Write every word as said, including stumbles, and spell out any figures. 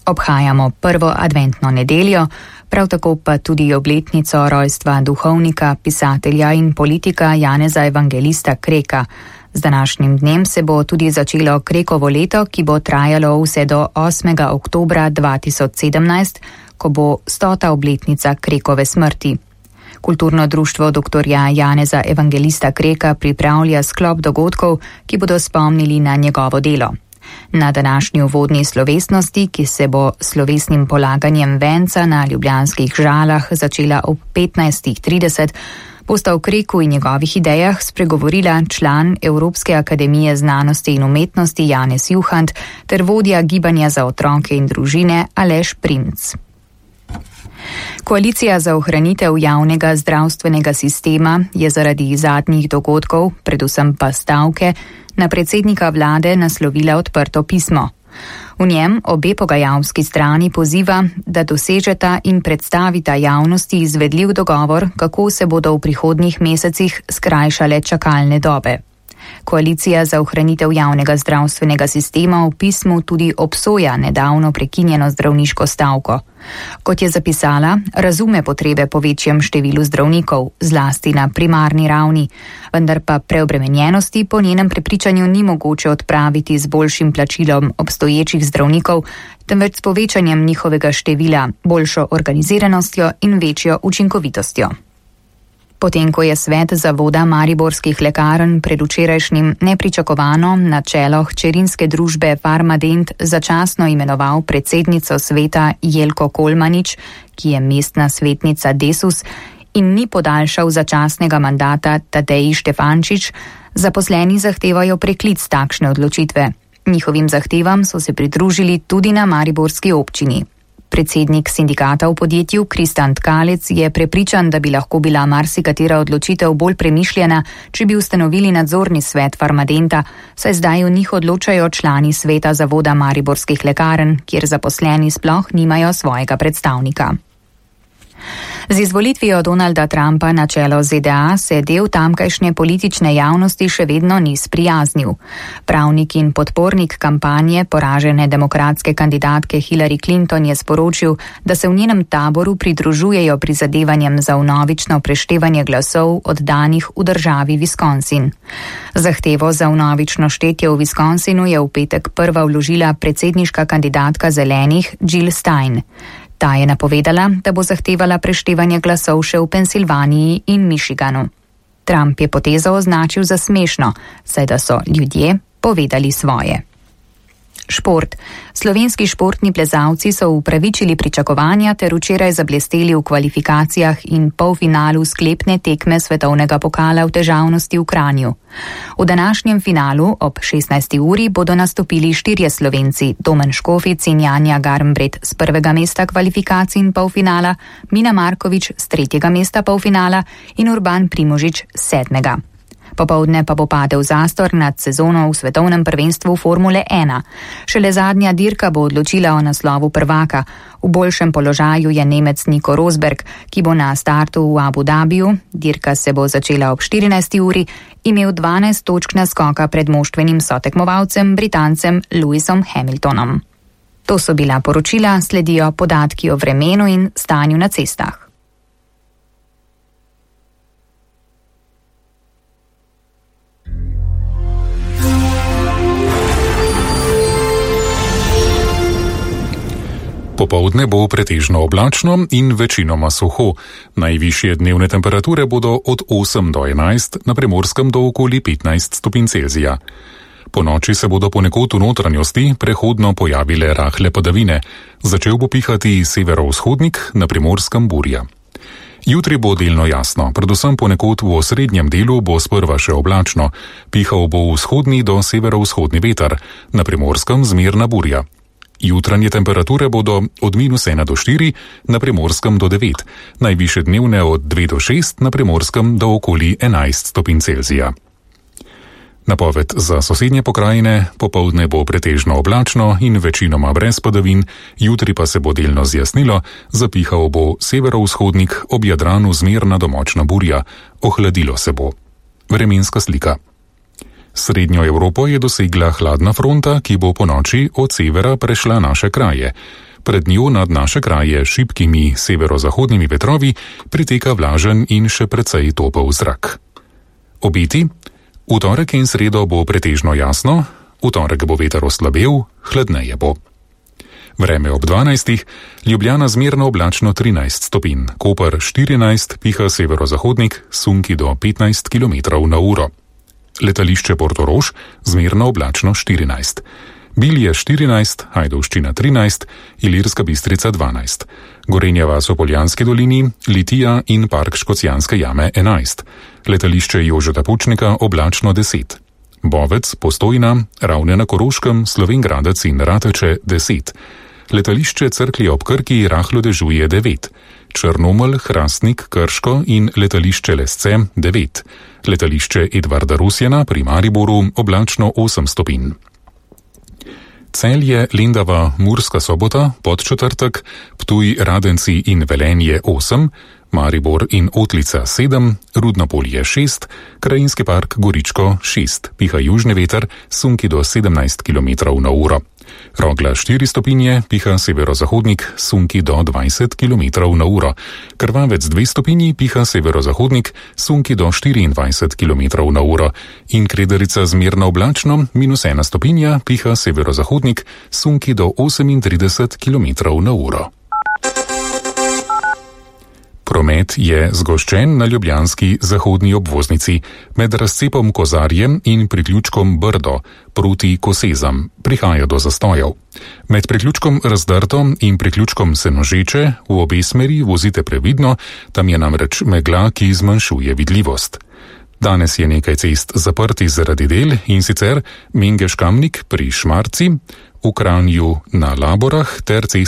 Obhajamo prvo adventno nedeljo, prav tako pa tudi obletnico rojstva duhovnika, pisatelja in politika Janeza Evangelista Kreka. Z današnjim dnem se bo tudi začelo Krekovo leto, ki bo trajalo vse do osmega oktobra dva tisoč sedemnajst, ko bo stota obletnica Krekove smrti. Kulturno društvo doktorja Janeza Evangelista Kreka pripravlja sklop dogodkov, ki bodo spomnili na njegovo delo. Na današnji uvodni slovesnosti, ki se bo slovesnim polaganjem venca na ljubljanskih Žalah začela ob petnajstih trideset, bosta o Kreku in njegovih idejah spregovorila član Evropske akademije znanosti in umetnosti Janez Juhant ter vodja gibanja za otroke in družine Aleš Primc. Koalicija za ohranitev javnega zdravstvenega sistema je zaradi zadnjih dogodkov, predvsem pa stavke, na predsednika vlade naslovila odprto pismo. V njem obe pogajalski strani poziva, da dosežeta in predstavita javnosti izvedljiv dogovor, kako se bodo v prihodnjih mesecih skrajšale čakalne dobe. Koalicija za ohranitev javnega zdravstvenega sistema v pismu tudi obsoja nedavno prekinjeno zdravniško stavko. Kot je zapisala, razume potrebe po večjem številu zdravnikov, zlasti na primarni ravni, vendar pa preobremenjenosti po njenem prepričanju ni mogoče odpraviti z boljšim plačilom obstoječih zdravnikov, temveč s povečanjem njihovega števila, boljšo organiziranostjo in večjo učinkovitostjo. Potem, ko je svet zavoda mariborskih lekarn predvčerajšnjim nepričakovano na čelo hčerinske družbe Farmadent začasno imenoval predsednico sveta Jelko Kolmanič, ki je mestna svetnica Desus, in ni podaljšal začasnega mandata Tadeji Štefančič, zaposleni zahtevajo preklic takšne odločitve. Njihovim zahtevam so se pridružili tudi na mariborski občini. Predsednik sindikata v podjetju Kristan Tkalec je prepričan, da bi lahko bila marsikatera odločitev bolj premišljena, če bi ustanovili nadzorni svet Farmadenta, saj zdaj v njih odločajo člani sveta zavoda mariborskih lekarn, kjer zaposleni sploh nimajo svojega predstavnika. Z izvolitvijo Donalda Trumpa na čelo Z D A se del tamkajšnje politične javnosti še vedno ni sprijaznil. Pravnik in podpornik kampanje poražene demokratske kandidatke Hillary Clinton je sporočil, da se v njenem taboru pridružujejo prizadevanjem za vnovično preštevanje glasov oddanih v državi Wisconsin. Zahtevo za vnovično štetje v Wisconsinu je v petek prva vložila predsedniška kandidatka zelenih Jill Stein. Ta je napovedala, da bo zahtevala preštevanje glasov še v Pensilvaniji in Michiganu. Trump je potezo označil za smešno, saj da so ljudje povedali svoje. Šport. Slovenski športni plezalci so upravičili pričakovanja ter včeraj zablesteli v kvalifikacijah in polfinalu sklepne tekme svetovnega pokala v težavnosti v Kranju. V današnjem finalu ob šestnajsti uri bodo nastopili štirje Slovenci, Domen Škofic in Janja Garnbret z prvega mesta kvalifikacij in polfinala, Mina Markovič z tretjega mesta polfinala in Urban Primožič z sedmega. Popovdne pa bo padel zastor nad sezono v svetovnem prvenstvu Formule ena. Šele zadnja dirka bo odločila o naslovu prvaka. V boljšem položaju je Nemec Nico Rosberg, ki bo na startu v Abu Dhabiju, dirka se bo začela ob štirinajsti uri, imel dvanajst točk naskoka pred moštvenim sotekmovalcem Britancem Lewisom Hamiltonom. To so bila poročila, sledijo podatki o vremenu in stanju na cestah. Popoldne bo pretežno oblačno in večinoma suho. Najvišje dnevne temperature bodo od osem do enajst, na Primorskem do okoli petnajst stopinj Celzija. Po noči se bodo ponekod v notranjosti prehodno pojavile rahle padavine. Začel bo pihati severovzhodnik, na Primorskem burja. Jutri bo delno jasno, predvsem ponekod v osrednjem delu bo sprva še oblačno. Pihal bo vzhodni do severovzhodni veter, na Primorskem zmerna burja. Jutranje temperature bodo od minus ena do štiri, na Primorskem do devet, najvišje dnevne od dve do šest, na Primorskem do okoli enajst stopinj Celzija. Napoved za sosednje pokrajine: popoldne bo pretežno oblačno in večinoma brez padavin, jutri pa se bo delno zjasnilo, zapihal bo severovzhodnik, ob Jadranu zmerna do močna burja, ohladilo se bo. Vremenska slika. Srednjo Evropo je dosegla hladna fronta, ki bo ponoči od severa prešla naše kraje. Pred njo nad naše kraje šibkimi severozahodnimi vetrovi priteka vlažen in še precej topel zrak. Obeti: v torek in sredo bo pretežno jasno, v torek bo veter oslabel, hladneje bo. Vreme ob dvanajstih, Ljubljana zmerno oblačno trinajst stopinj, Koper štirinajst, piha severozahodnik, sunki do petnajst kilometrov na uro. Letališče Portorož zmerno oblačno štirinajst. Bilje štirinajst, Ajdovščina trinajst, Ilirska Bistrica dvanajst. Gorenja vas v Poljanski dolini, Litija in park Škocjanske jame enajst. Letališče Jožeta Pučnika oblačno deset. Bovec, Postojna, Ravne na Koroškem, Slovenj Gradec in Rateče deset. Letališče Cerklje ob Krki rahlo dežuje devet. Črnomelj, Hrastnik, Krško in letališče Lesce devet. Letališče Edvarda Rusjana pri Mariboru oblačno osem stopinj. Celje, Lendava, Murska Sobota, Podčetrtek, Ptuj, Radenci in Velenje osem, Maribor in Otlica sedem, Rudno Polje šest, Krajinski park Goričko šest, piha južni veter, sunki do sedemnajst kilometrov na uro. Rogla štiri stopinje, piha severozahodnik, sunki do dvajset kilometrov na uro. Krvavec dve stopinji, piha severozahodnik, sunki do štiriindvajset kilometrov na uro. In Krederica zmerno oblačno, minus ena stopinja, piha severozahodnik, sunki do osemintrideset kilometrov na uro. Promet je zgoščen na ljubljanski zahodni obvoznici med razcepom Kozarjem in priključkom Brdo proti Kosezam. Prihaja do zastojev. Med priključkom Razdrto in priključkom Senožeče v obe smeri vozite previdno, tam je namreč megla, ki zmanjšuje vidljivost. Danes je nekaj cest zaprtih zaradi del, in sicer Mengeš Kamnik pri Šmarci, v Kranju na Laborah ter cest